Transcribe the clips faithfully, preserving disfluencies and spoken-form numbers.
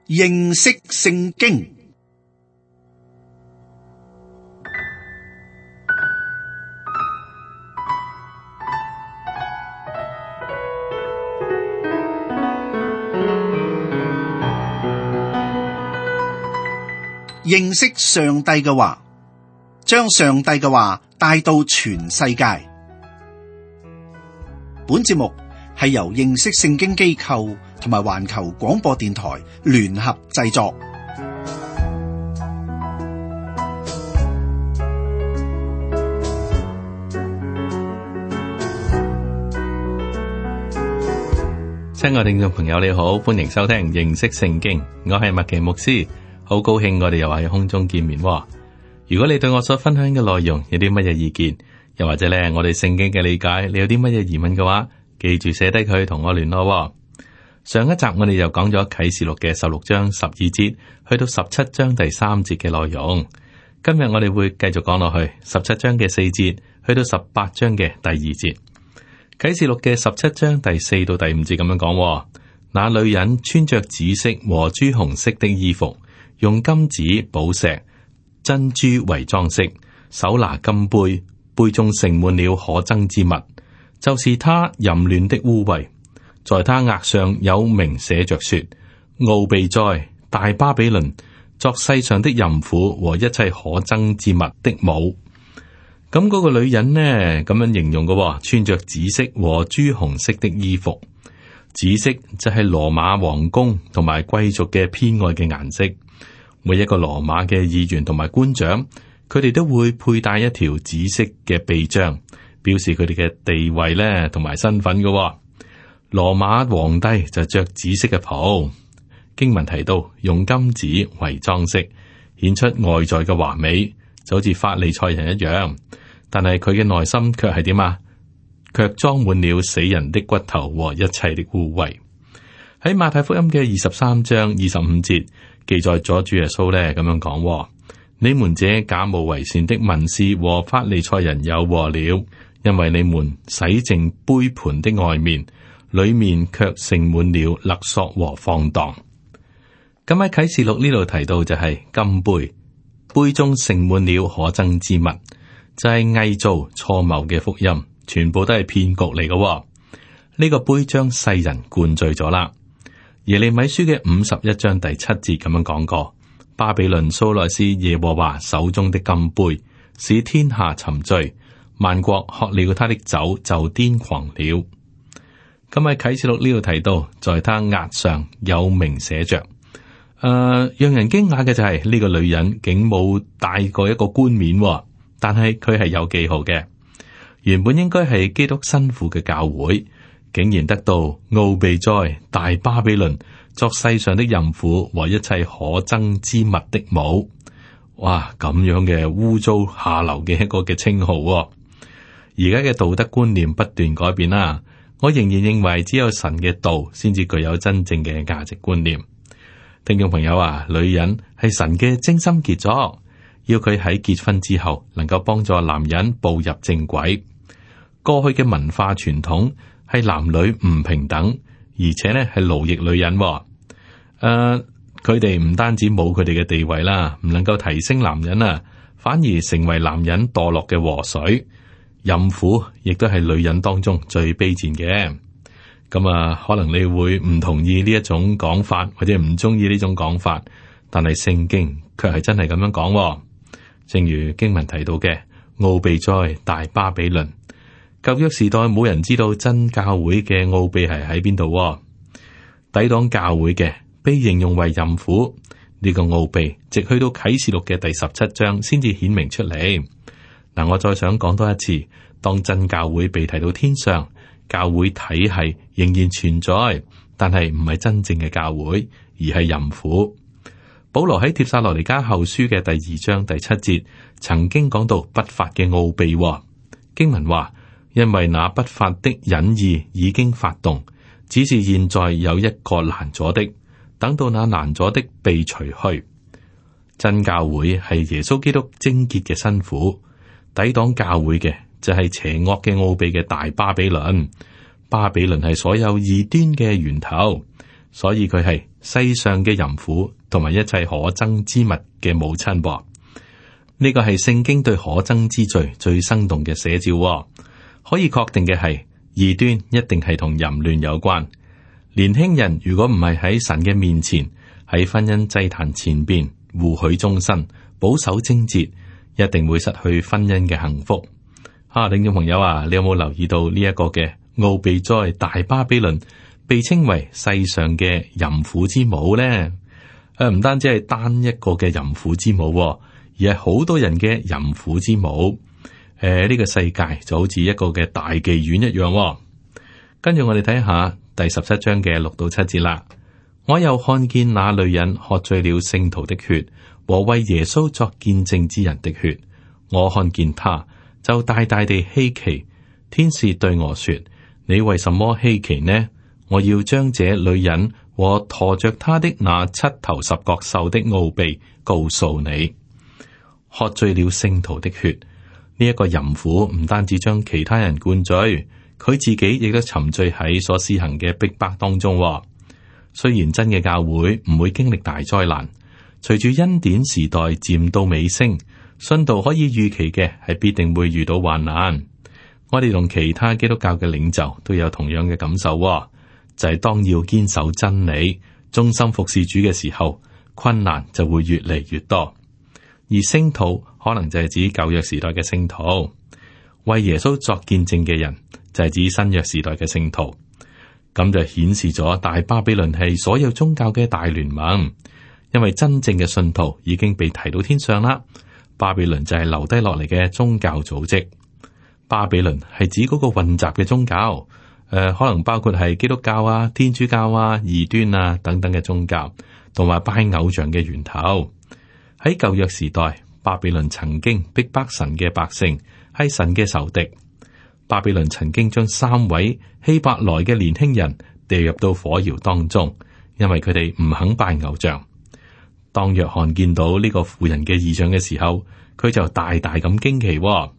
認識聖經。認識上帝嘅話，將上帝嘅話帶到全世界。本節目係由認識聖經機構同埋環球廣播電台聯合製作。親愛聽眾朋友，你好，歡迎收聽認識聖經，我係麥奇牧師。好高興我哋又喺空中見面。如果你對我所分享嘅內容有啲乜嘢意見，又或者咧我哋聖經嘅理解，你有啲乜嘢疑問嘅話，記住寫低佢同我聯絡。上一集我哋又講咗啟示錄嘅十六章十二節去到十七章第三節嘅內容。今日我哋會繼續講落去十七章嘅四節去到十八章嘅第二節。啟示錄嘅十七章第四到第五節咁樣講：那女人穿着紫色和朱紅色的衣服，用金子、寶石、珍珠為裝飾，手拿金杯，杯中盛滿了可憎之物，就是他淫亂的污穢。在他額上有名寫着說：奧秘哉，大巴比倫，作世上的淫婦和一切可憎之物的母。咁嗰個女人呢，咁樣形容嘅，穿着紫色和朱紅色的衣服。紫色就係羅馬皇宮同埋貴族嘅偏愛嘅顏色。每一個羅馬嘅議員同埋官長，佢哋都會佩戴一條紫色嘅臂章，表示佢哋嘅地位咧同埋身份嘅。羅馬皇帝就着紫色嘅袍。經文提到用金子為裝飾，顯出外在嘅華美，就好似法利賽人一樣。但係佢嘅內心卻係點啊？卻裝滿了死人的骨頭和一切的污穢。喺馬太福音嘅二十三章二十五節。記載咗主耶穌咧咁樣講：你們這假冒為善的文士和法利賽人有禍了，因為你們洗淨杯盤的外面，裏面卻盛滿了勒索和放蕩。咁喺啟示錄呢度提到就係金杯，杯中盛滿了可憎之物，就係偽造錯謬嘅福音，全部都係騙局嚟嘅。呢、這個杯將世人灌醉咗啦。耶利米書嘅五十一章第七節咁樣講過：巴比倫素來是耶和華手中的金杯，使天下沉醉，萬國喝了他的酒就癲狂了。咁喺啟示錄呢度提到，在他額上有名寫着。誒、呃，讓人驚訝嘅就係、是、呢、這個女人竟冇戴過一個冠冕，但係佢係有記號嘅。原本應該係基督新婦嘅教會，竟然得到奧秘哉，大巴比倫，作世上的淫婦和一切可憎之物的母。哇，咁樣嘅污糟下流嘅一個嘅稱號。而家嘅道德觀念不斷改變啦，我仍然認為只有神嘅道先至具有真正嘅價值觀念。聽眾朋友啊，女人係神嘅精心傑作，要佢喺結婚之後能夠幫助男人步入正軌。過去嘅文化傳統係男女唔平等，而且咧係奴役女人。誒、呃，佢哋唔單止冇佢哋嘅地位啦，唔能夠提升男人啊，反而成為男人墮落嘅禍水。淫婦亦都係女人當中最卑賤嘅。咁啊，可能你會唔同意呢一種講法，或者唔中意呢種講法，但係聖經卻係真係咁樣講。正如經文提到嘅，奧秘哉，大巴比倫。舊約時代冇人知道真教會嘅奧秘係喺邊度，抵擋教會嘅被形容為淫婦。呢、這個奧秘直去到啟示錄嘅第十七章先至顯明出嚟。嗱，我再想講多一次，當真教會被提到天上，教會體系仍然存在，但係唔係真正嘅教會，而係淫婦。保羅喺帖撒羅尼迦後書嘅第二章第七節曾經講到不法嘅奧秘，經文話。因為那不法的隱意已經發動，只是現在有一個攔阻的，等到那攔阻的被除去。真教會係耶穌基督貞潔嘅新婦，抵擋教會嘅就係邪惡嘅奧秘嘅大巴比倫。巴比倫係所有異端嘅源頭，所以佢係世上嘅淫婦同埋一切可憎之物嘅母親噃。呢個係聖經對可憎之罪最生動嘅寫照喎。可以確定嘅係，異端一定係同淫亂有關。年輕人如果唔係喺神嘅面前，喺婚姻祭壇前邊互許終身，保守貞節，一定會失去婚姻嘅幸福。啊，聽眾朋友啊，你有冇留意到呢一個嘅奧秘哉大巴比倫被稱為世上嘅淫婦之母呢？誒、啊，唔單止係單一個嘅淫婦之母，而係好多人嘅淫婦之母。誒、啊，呢、這個世界就好似一個嘅大妓院一樣。跟住我哋睇下第十七章嘅六到七節啦。我又看見那女人喝醉了聖徒的血和為耶穌作見證之人的血，我看見她就大大地希奇。天使對我說：你為什麼希奇呢？我要將這女人和馱着她的那七頭十角獸的奧秘告訴你。喝醉了聖徒的血，呢、這、一個淫婦唔單止將其他人灌醉，佢自己亦都沉醉喺所施行嘅逼迫當中。雖然真嘅教會唔會經歷大災難，隨住恩典時代漸到尾聲，信徒可以預期嘅係必定會遇到患難。我哋同其他基督教嘅領袖都有同樣嘅感受，就係、是、當要堅守真理、忠心服侍主嘅時候，困難就會越嚟越多。而聖徒可能就係指舊約時代嘅聖徒，為耶穌作見證嘅人就係指新約時代嘅聖徒。咁就顯示咗大巴比倫係所有宗教嘅大聯盟，因為真正嘅信徒已經被提到天上啦。巴比倫就係留低落嚟嘅宗教組織。巴比倫係指嗰個混雜嘅宗教，誒、呃，可能包括係基督教啊、天主教啊、異端啊等等嘅宗教，同埋拜偶像嘅源頭。喺舊約時代，巴比倫曾經逼迫神嘅百姓，係神嘅仇敵。巴比倫曾經將三位希伯來嘅年輕人掉入到火窯當中，因為佢哋唔肯拜偶像。當約翰見到呢個婦人嘅異象嘅時候，佢就大大咁驚奇、哦。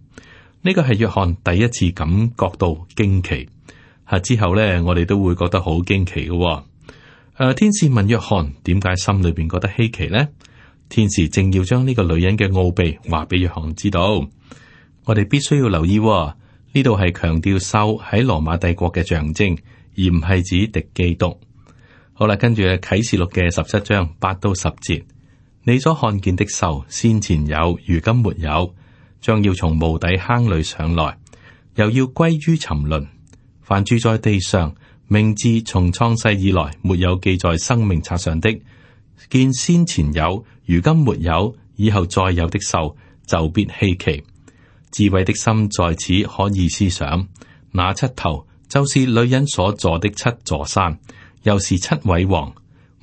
呢個係約翰第一次感覺到驚奇。吓之後呢，我哋都會覺得好驚奇嘅、哦。誒、呃，天使問約翰點解心裏邊覺得稀奇呢？天使正要將呢個女人嘅奧秘話俾約翰知道。我哋必須要留意、哦。呢度係強調獸喺羅馬帝國嘅象徵，而唔係指敵基督。好啦，跟住啟示錄嘅十七章八到十節，你所看見的獸，先前有，如今沒有，將要從無底坑裏上來，又要歸於沉淪。凡住在地上，名字從創世以來沒有記在生命冊上的，見先前有，如今沒有，以後再有的獸，就必稀奇。智慧的心在此可以思想，那七頭就是女人所坐的七座山，又是七位王，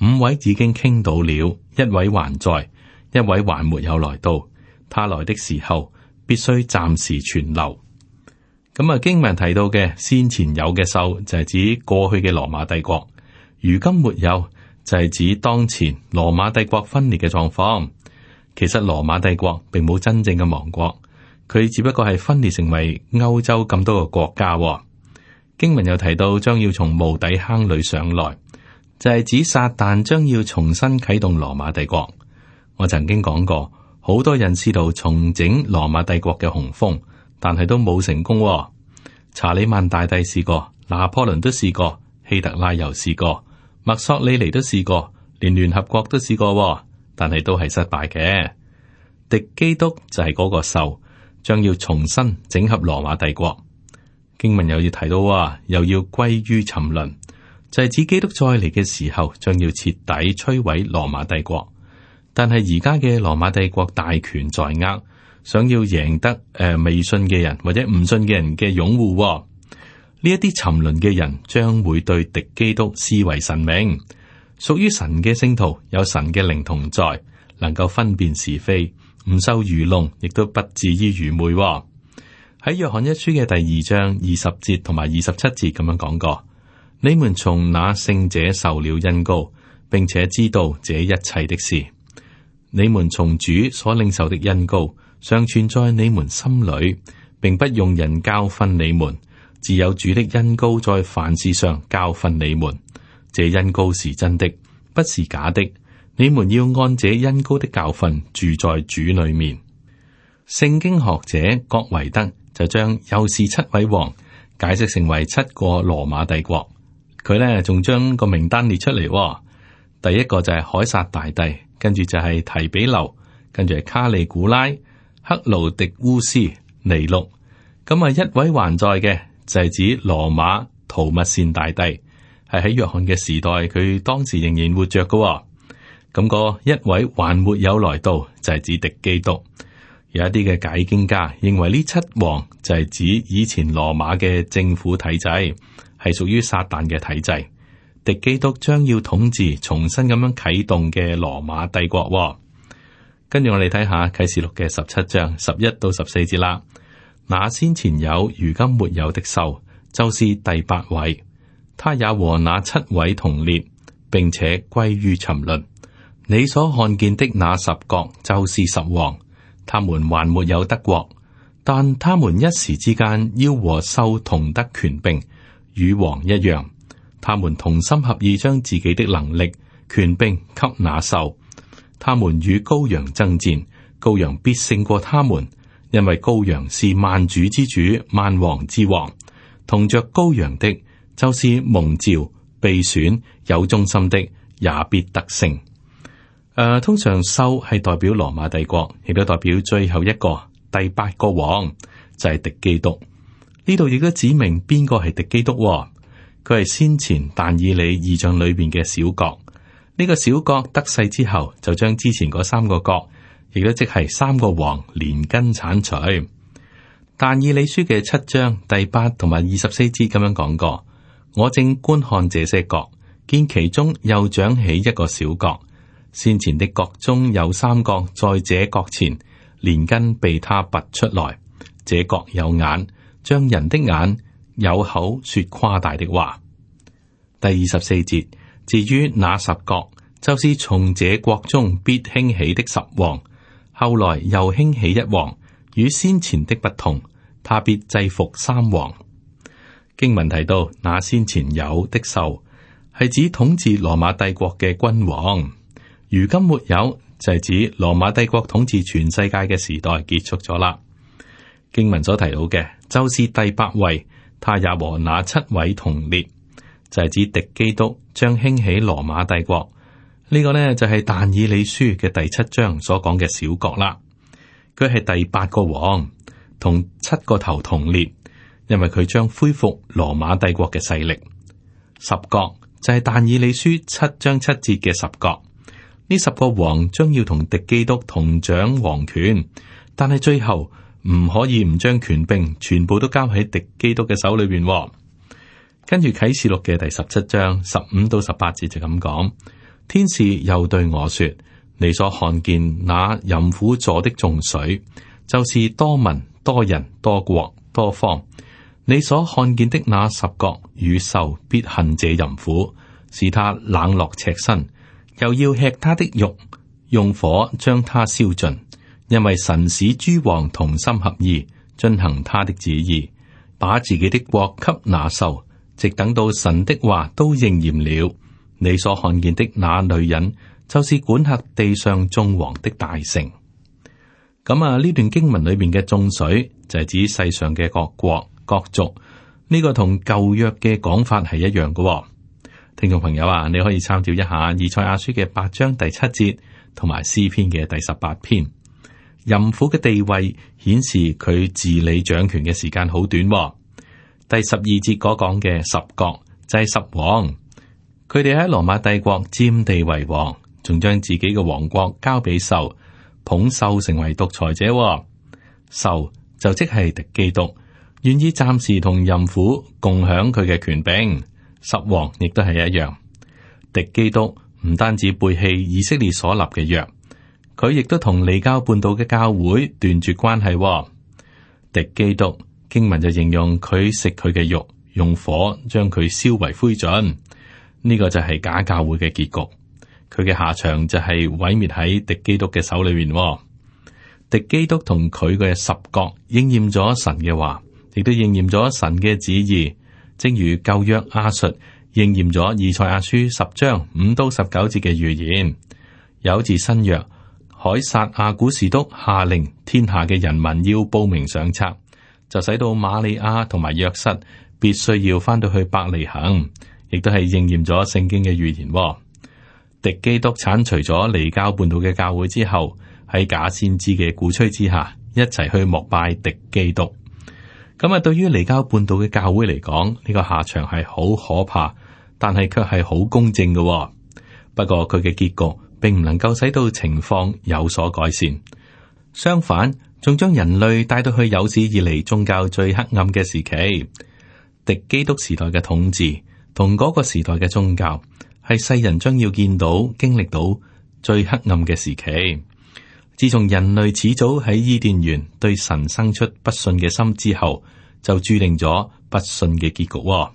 五位已經傾倒了，一位還在，一位還沒有來到。他來的時候，必須暫時存留。咁啊，經文提到嘅先前有嘅獸就係指過去嘅羅馬帝國，如今沒有就係指當前羅馬帝國分裂嘅狀況。其實羅馬帝國並冇真正嘅亡國。佢只不過係分裂成為歐洲咁多個國家、哦。經文又提到將要從無底坑裏上來，就係、是、指撒旦將要重新啟動羅馬帝國。我曾經講過，好多人試圖重整羅馬帝國嘅雄風，但係都冇成功、哦。查理曼大帝試過，拿破崙都試過，希特拉又試過，墨索里尼都試過，連聯合國都試過、哦，但係都係失敗嘅。敵基督就係嗰個獸。將要重新整合羅馬帝國。經文又要提到啊，又要歸於沉淪，就係、是、指基督再嚟嘅時候，將要徹底摧毀羅馬帝國。但係而家嘅羅馬帝國大權在握，想要贏得誒、呃、未信嘅人或者唔信嘅人嘅擁護、哦。呢一啲沉淪嘅人將會對敵基督視為神明，屬於神嘅聖徒有神嘅靈同在，能夠分辨是非。唔受愚弄，亦都不至於愚昧、哦。喺約翰一書嘅第二章二十節同埋二十七節咁樣講過：你們從那聖者受了恩膏，並且知道這一切的事。你們從主所領受的恩膏，常存在你們心裏，並不用人教訓你們，只有主的恩膏在凡事上教訓你們，這恩膏是真的，不是假的。你們要按這恩膏的教訓住在主裏面。聖經學者郭維德就將又是七位王解釋成為七個羅馬帝國。佢呢仲將個名單列出嚟，哦。第一個就係凱撒大帝，跟住就係提比留，跟住係卡利古拉、克勞迪烏斯、尼祿。咁啊，一位還在嘅就係指羅馬圖密善大帝，係喺約翰嘅時代，佢當時仍然活着嘅，哦。咁個一位還沒有來到，就係指敵基督。有一啲嘅解經家認為呢七王就係指以前羅馬嘅政府體制，係屬於撒旦嘅體制。敵基督將要統治重新咁樣啟動嘅羅馬帝國，哦。跟住我哋睇下啟示錄嘅十七章十一到十四節啦。那先前有如今沒有的獸，就是第八位，他也和那七位同列，並且歸於沉淪。你所看見的那十國就是十王，他們還沒有得國，但他們一時之間要和獸同得權柄，與王一樣。他們同心合意將自己的能力、權柄給那獸。他們與羔羊爭戰，羔羊必勝過他們，因為羔羊是萬主之主、萬王之王。同着羔羊的，就是蒙召、被選、有忠心的，也必得勝。誒、呃，通常獸係代表羅馬帝國，亦都代表最後一個第八個王，就係、是、敵基督。呢度亦都指明邊個係敵基督、哦。佢係先前但以理異象裏邊嘅小國，呢、這個小國得勢之後，就將之前嗰三個國，亦都即係三個王連根鏟除。但以理書嘅七章第八同埋二十四節咁樣講過：我正觀看這些國，見其中又長起一個小國，先前的國中有三國在這國前，連根被他拔出來。這國有眼，像人的眼。有口說誇大的話。第二十四節，至於那十國，就是從這國中必興起的十王，後來又興起一王，與先前的不同，他必制服三王。經文提到那先前有的獸，係指統治羅馬帝國嘅君王，如今沒有，就係指羅馬帝國統治全世界嘅時代結束咗啦。經文所提到嘅，就是第八位。他也和那七位同列，就係、是、指敵基督將興起羅馬帝國。呢、這個呢，就係、是、但以理書嘅第七章所講嘅小國啦。佢係第八個王，同七個頭同列，因為佢將恢復羅馬帝國嘅勢力。十國就係但以理書七章七節嘅十國。呢十個王將要同敵基督同掌王權，但係最後。唔可以唔將權柄全部都交喺敵基督嘅手裏邊、哦。跟住啟示錄嘅第十七章十五到十八節就咁講，天使又對我說：你所看見那淫婦坐的眾水，就是多民、多人、多國、多方。你所看見的那十國與獸必恨這淫婦，使他冷落赤身，又要吃他的肉，用火將他燒盡。因為神使諸王同心合意，遵行他的旨意，把自己的國給那獸，直等到神的話都應驗了。你所看見的那女人，就是管轄地上眾王的大城。咁啊，呢段經文裏邊嘅眾水就係指世上嘅各國各族，呢、這個同舊約嘅講法係一樣嘅、哦。聽眾朋友啊，你可以參照一下以賽亞書嘅八章第七節，同埋詩篇嘅第十八篇。淫婦嘅地位顯示佢治理掌權嘅時間好短、哦。第十二節嗰講嘅十國就係十王，佢哋喺羅馬帝國佔地為王，仲將自己嘅王國交俾獸，捧獸成為獨裁者、哦。獸就即係敵基督，願意暫時同淫婦共享佢嘅權柄。十王亦都係一樣，敵基督唔單止背棄以色列所立嘅約。佢亦都同離交半島嘅教會斷絕關係、哦。敵基督經文就形容佢食佢嘅肉，用火將佢燒為灰燼。呢、這個就係假教會嘅結局。佢嘅下場就係毀滅喺敵基督嘅手裏面、哦。敵基督同佢嘅十國應驗咗神嘅話，亦都應驗咗神嘅旨意。正如舊約亞述應驗咗以賽亞書十章五到十九節嘅預言。有自新約，凱撒亞古士督下令天下嘅人民要報名上冊，就使到瑪利亞同埋約瑟必須要翻到去伯利恆，亦都係應驗咗聖經嘅預言。敵基督鏟除咗離教叛道嘅教會之後，喺假先知嘅鼓吹之下，一齊去膜拜敵基督。咁啊，對於離教叛道嘅教會嚟講，呢個下場係好可怕，但係卻係好公正嘅。不過佢嘅結局並唔能夠使到情況有所改善，相反，仲將人類帶到去有史以嚟宗教最黑暗嘅時期。敵基督時代嘅統治同嗰個時代嘅宗教，係世人將要見到、經歷到最黑暗嘅時期。自從人類始早喺伊甸園對神生出不信嘅心之後，就注定咗不信嘅結局。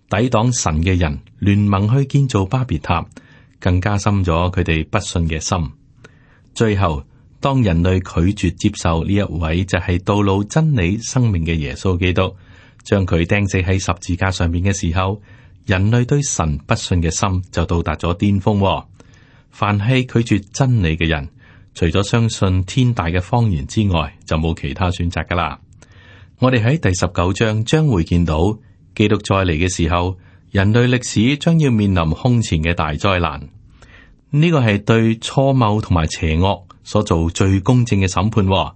抵擋神嘅人聯盟去建造巴別塔，更加深咗佢哋不信嘅心。最後，當人類拒絕接受呢一位就係道路、真理、生命嘅耶穌基督，將佢釘死喺十字架上面嘅時候，人類對神不信嘅心就到達咗巔峰。凡係拒絕真理嘅人，除咗相信天大嘅謊言之外，就冇其他選擇噶啦。我哋喺第十九章將會見到基督再嚟嘅時候，人類歷史將要面臨空前嘅大災難。呢個係對錯謬同埋邪惡所做最公正嘅審判。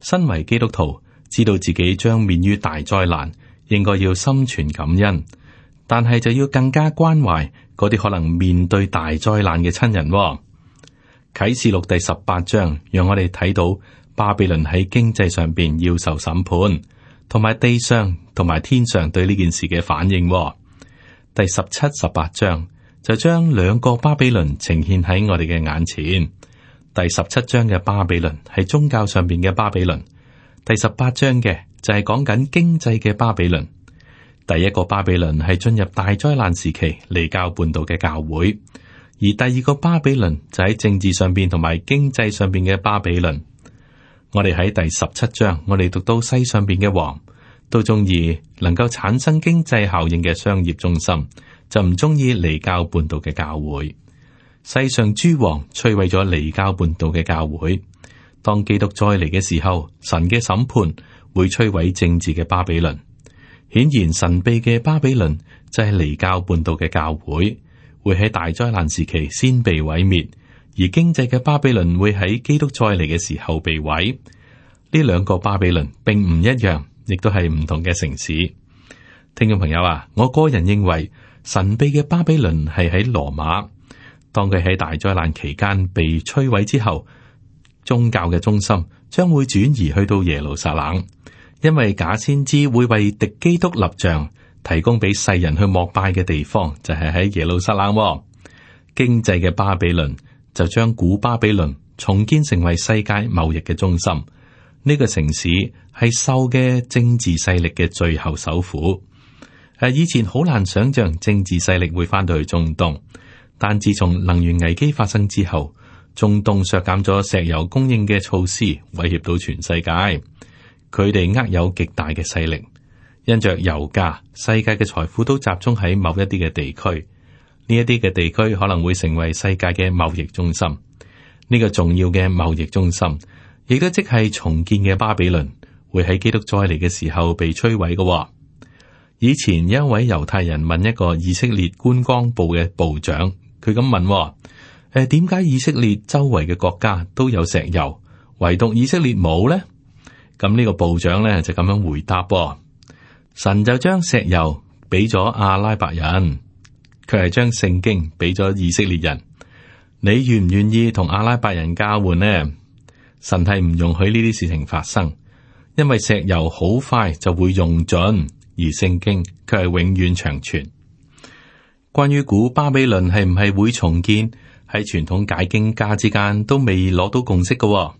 身為基督徒，知道自己將面於大災難，應該要心存感恩，但係就要更加關懷嗰啲可能面對大災難嘅親人。啟示錄第十八章讓我哋睇到巴比倫喺經濟上邊要受審判，同埋地上同埋天上對呢件事嘅反應。第十七、十八章就將兩個巴比倫呈現喺我哋嘅眼前。第十七章嘅巴比倫係宗教上邊嘅巴比倫，第十八章嘅就係講緊經濟嘅巴比倫。第一個巴比倫係進入大災難時期離教叛道嘅教會。而第二個巴比倫就喺政治上邊同埋經濟上邊嘅巴比倫。我哋喺第十七章，我哋讀到世上邊嘅王都中意能夠產生經濟效應嘅商業中心，就唔中意離教叛道嘅教會。世上諸王摧毀咗離教叛道嘅教會。當基督再嚟嘅時候，神嘅審判會摧毀政治嘅巴比倫。顯然神秘嘅巴比倫就係離教叛道嘅教會。會喺大災難時期先被毀滅，而經濟嘅巴比倫會喺基督再嚟嘅時候被毀。呢兩個巴比倫並唔一樣，亦都係唔同嘅城市。聽眾朋友啊，我個人認為神秘嘅巴比倫係喺羅馬。當佢喺大災難期間被摧毀之後，宗教嘅中心將會轉移去到耶路撒冷，因為假先知會為敵基督立像。提供俾世人去膜拜嘅地方就係喺耶路撒冷。經濟嘅巴比倫就將古巴比倫重建成為世界貿易嘅中心。呢個城市係獸嘅政治勢力嘅最後首府。誒，以前好難想象政治勢力會翻到去中東，但自從能源危機發生之後，中東削減咗石油供應嘅措施，威脅到全世界。佢哋握有極大嘅勢力。因着油價，世界嘅財富都集中喺某一啲嘅地區，呢一啲嘅地區可能會成為世界嘅貿易中心。呢個重要嘅貿易中心，亦都即係重建嘅巴比倫，會喺基督再嚟嘅時候被摧毀嘅。以前有一位猶太人問一個以色列觀光部嘅部長，佢咁問：誒，點解以色列周圍嘅國家都有石油，唯獨以色列冇呢？咁呢個部長咧就咁樣回答。神就將石油俾咗阿拉伯人，佢係將聖經俾咗以色列人。你願唔願意同阿拉伯人交換呢？神係唔容許呢啲事情發生，因為石油好快就會用盡，而聖經卻係永遠長存。關於古巴比倫係唔係會重建，喺傳統解經家之間都未攞到共識嘅。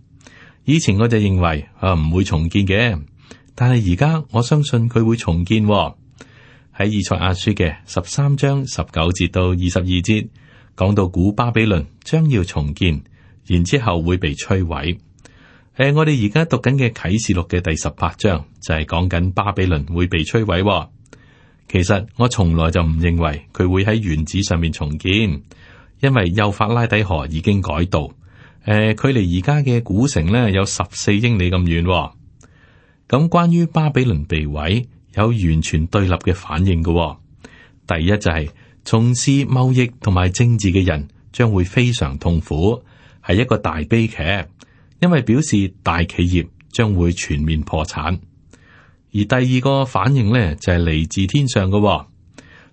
以前我就認為啊唔會重建嘅。但係而家我相信佢會重建。喺以賽亞書嘅十三章十九節到二十二節，講到古巴比倫將要重建，然之後會被摧毀。誒、呃，我哋而家讀緊嘅啟示錄嘅第十八章就係講緊巴比倫會被摧毀。其實我從來就唔認為佢會喺原址上面重建，因為幼發拉底河已經改道，誒、呃，距離而家嘅古城呢有十四英里咁遠、哦。咁關於巴比倫被毀，有完全對立嘅反應嘅、哦。第一就係、是、從事貿易同埋政治嘅人將會非常痛苦，係一個大悲劇，因為表示大企業將會全面破產。而第二個反應呢，就係、是、嚟自天上嘅、哦，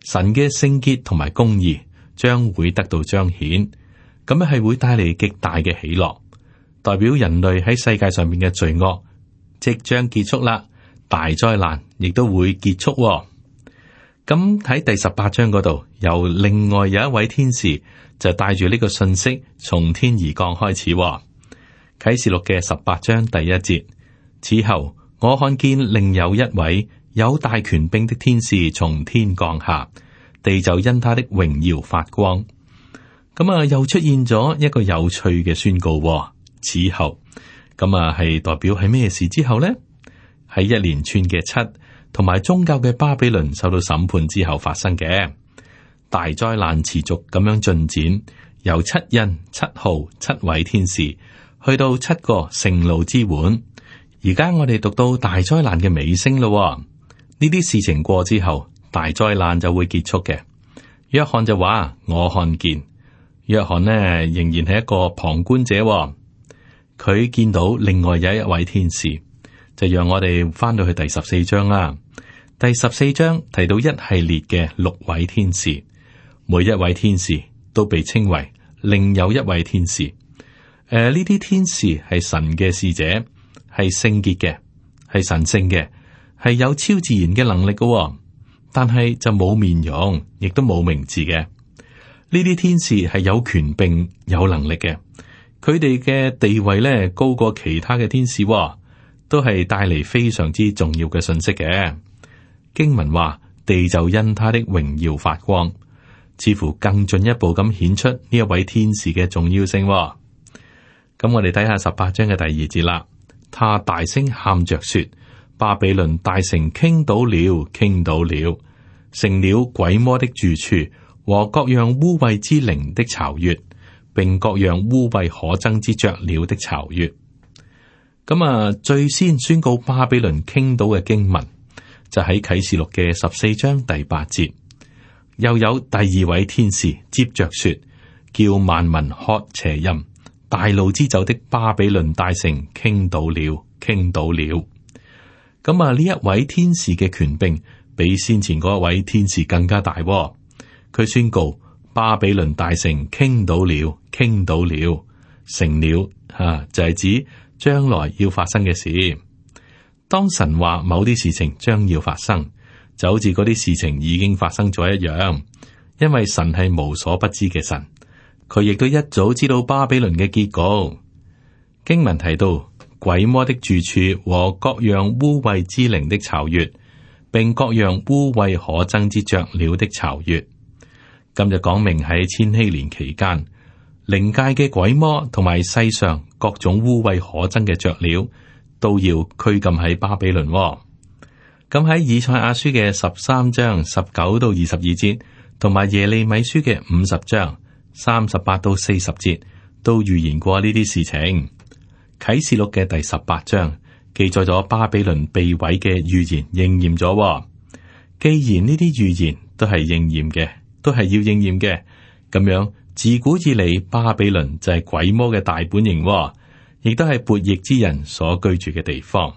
神嘅聖潔同埋公義將會得到彰顯，咁樣係會帶嚟極大嘅喜樂，代表人類喺世界上面嘅罪惡即將結束啦，大災難亦都會結束、哦。咁喺第十八章嗰度，由另外有一位天使就帶住呢個信息從天而降開始、哦。啟示錄嘅十八章第一節，此後我看見另有一位有大權柄的天使從天降下，地就因他的榮耀發光。咁啊，又出現咗一個有趣嘅宣告、哦。此後，咁啊係代表係咩事之後呢？喺一連串嘅七同埋宗教嘅巴比倫受到審判之後發生嘅大災難，持續咁樣進展，由七印、七號、七位天使去到七個盛怒之碗。而家我哋讀到大災難嘅尾聲咯，呢啲事情過之後，大災難就會結束嘅。約翰就話：我看見。約翰呢仍然係一個旁觀者，佢見到另外有一位天使，就讓我哋翻到去第十四章啦。第十四章提到一系列嘅六位天使，每一位天使都被稱為另有一位天使。誒、呃，呢啲天使係神嘅使者。係聖潔嘅，係神聖嘅，係有超自然嘅能力嘅、哦，但係就冇面容，亦都冇名字嘅。呢啲天使係有權柄、有能力嘅，佢哋嘅地位咧高過其他嘅天使、哦，都係帶嚟非常之重要嘅信息嘅。經文話，地就因他的榮耀發光，似乎更進一步咁顯出呢一位天使嘅重要性、哦。咁我哋睇下十八章嘅第二節啦。他大聲喊着說：巴比倫大城傾倒了，傾倒了，成了鬼魔的住處和各樣污穢之靈的巢穴，並各樣污穢可憎之雀鳥的巢穴。咁啊，最先宣告巴比倫傾倒嘅經文就喺啟示錄嘅十四章第八節。又有第二位天使接着說：叫萬民喝邪淫。大怒之酒的巴比倫大城傾倒了，傾倒了。咁啊，呢一位天使嘅權柄比先前嗰一位天使更加大、哦。佢宣告巴比倫大城傾倒了，傾倒了，成了吓、啊，就係、是、指將來要發生嘅事。當神話某啲事情將要發生，就好似嗰啲事情已經發生咗一樣，因為神係無所不知嘅神。佢亦都一早知道巴比倫嘅結局。經文提到鬼魔的住處和各樣污穢之靈的巢穴，並各樣污穢可憎之雀鳥的巢穴。今日講明喺千禧年期間，靈界嘅鬼魔同埋世上各種污穢可憎嘅雀鳥都要拘禁喺巴比倫。咁喺以賽亞書嘅十三章十九到二十二節，同埋耶利米書嘅五十章三十八到四十節都預言過呢啲事情。啟示錄嘅第十八章記載咗巴比倫被毀嘅預言應驗咗。既然呢啲預言都係應驗嘅，都係要應驗嘅，咁樣自古以嚟巴比倫就係鬼魔嘅大本營，亦都係悖逆之人所居住嘅地方。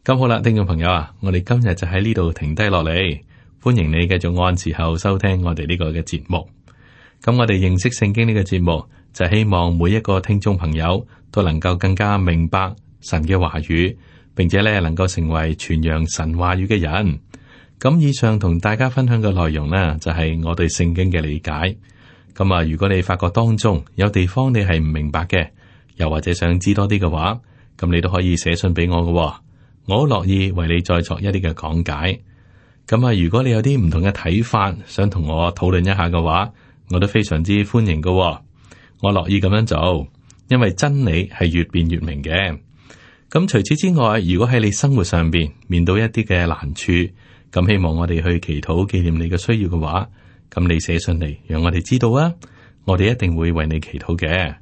咁好啦，聽眾朋友啊，我哋今日就喺呢度停低落嚟，歡迎你繼續按時候收聽我哋呢個嘅節目。咁我哋認識聖經呢個節目，就希望每一個聽眾朋友都能夠更加明白神嘅話語，並且咧能夠成為傳揚神話語嘅人。咁以上同大家分享嘅內容呢，就係我對聖經嘅理解。咁啊，如果你發覺當中有地方你係唔明白嘅，又或者想知多啲嘅話，咁你都可以寫信俾我嘅，我好樂意為你再作一啲嘅講解。咁啊，如果你有啲唔同嘅睇法，想同我討論一下嘅話，我都非常之歡迎嘅，我樂意咁樣做，因為真理係越辯越明嘅。咁除此之外，如果喺你生活上邊面對一啲嘅難處，咁希望我哋去祈禱紀念你嘅需要嘅話，咁你寫信嚟，讓我哋知道啊，我哋一定會為你祈禱嘅。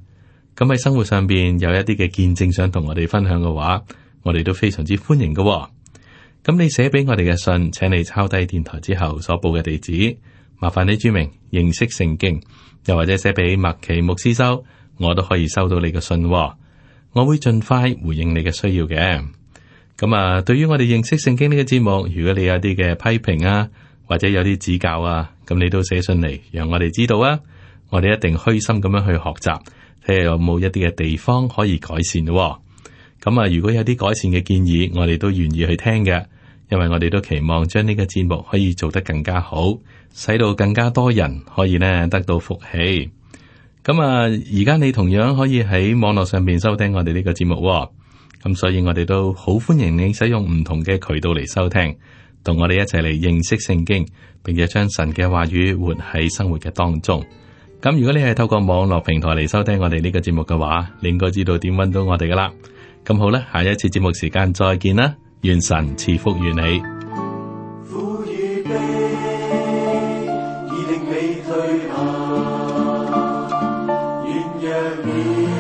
咁喺生活上邊有一啲嘅見證想同我哋分享嘅話，我哋都非常之歡迎嘅喎。咁你寫俾我哋嘅信，請你抄低電台之後所報嘅地址，麻煩你注明認識聖經，又或者寫俾麥奇牧師收，我都可以收到你嘅信喎。我會盡快回應你嘅需要嘅。咁啊，對於我哋認識聖經呢個節目，如果你有啲嘅批評啊，或者有啲指教啊，咁你都寫信嚟，讓我哋知道啊。我哋一定虛心咁樣去學習，睇下有冇一啲嘅地方可以改善咯。咁啊，如果有啲改善嘅建議，我哋都願意去聽嘅，因為我哋都期望將呢個節目可以做得更加好，使到更加多人可以呢得到福氣。咁啊，而家你同樣可以喺網絡上邊收聽我哋呢個節目，咁所以我哋都好歡迎你使用唔同嘅渠道嚟收聽，同我哋一齊嚟認識聖經，並且將神嘅話語活喺生活嘅當中。咁如果你係透過網絡平台嚟收聽我哋呢個節目嘅話，你應該知道點搵到我哋噶啦。咁好啦，下一次節目時間再見啦，願神賜福於你。苦與悲已令你退下，願讓你